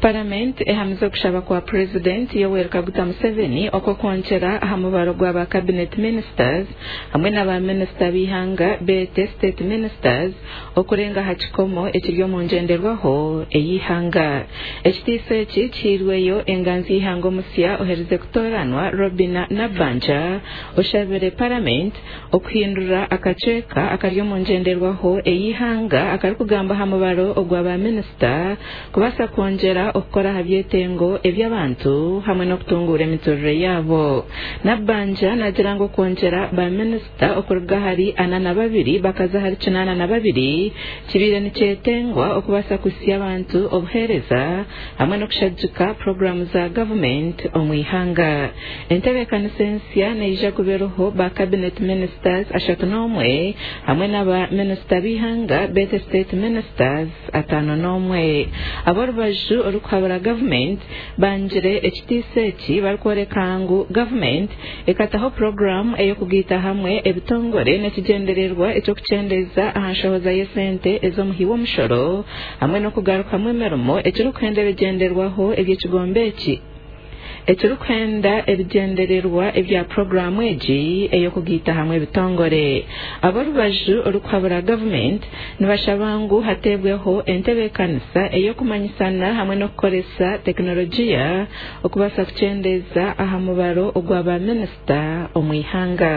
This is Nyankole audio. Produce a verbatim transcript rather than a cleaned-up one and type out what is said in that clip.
Paramenti ehamize okushaba kwa Purezidenti Yoweri Kaguta Museveni okw'okwongyera aha mubaro gwa ba cabinet ministers hamwe na ba minisita b'eihanga beete state ministers okurenga aha kikomo ekiri omu ngyenderwaho ey'eihanga. Ekitiiso eki kihairweyo enganzi y'eihanga omusya oherize kutooranwa Robina Nabbanja oshabire Paramenti okuhindura akacweka akari omu ngyenderwaho ey'eihanga akarikugamba aha mubaro ogwa ba minisita kubaasa kwongyera okukora aha byetengo eby'abantu hamwe n'okutunguura emiturire yaabo. Nabbanja naagira ngu okwongyera ba minisita okuruga ahari ana na babiri bakaza ahari kinaana na babiri kibaire nikyetengwa okubaasa kuhitsya abantu obuheereza hamwe n'okushagika puroguraamu za gavumenti omu ihanga. Entebeekanisa ensya neija kuba eriho ba cabinet ministers ashatu n'omwe hamwe n'aba minisita b'eihanga beete state ministers ataano n'omwe. Ab'orubaju orikuhabura gavumenti bangire ekitiiso eki barikworeka ngu gavumenti ekataho puroguraamu ey'okugaita hamwe ebitongore n'ekigyendererwa eky'okukyendeeza aha nshohoza y'esente ez'omuhi w'omushoro hamwe n'okugarukamu emirimo ekirikuhenda ebigyenderwaho eby'ekigombe eki ekirikuhenda ebigyendererwa ebya puroguraamu egi ey'okugaita hamwe ebitongore. Ab'orubaju orikuhabura gavumenti nibashaba ngu hateebweho entebeekanisa ey'okumanyisana hamwe n'okukoresa tekinologiya okubaasa kukyendeeza aha mubaro ogwa ba minisita omu ihanga.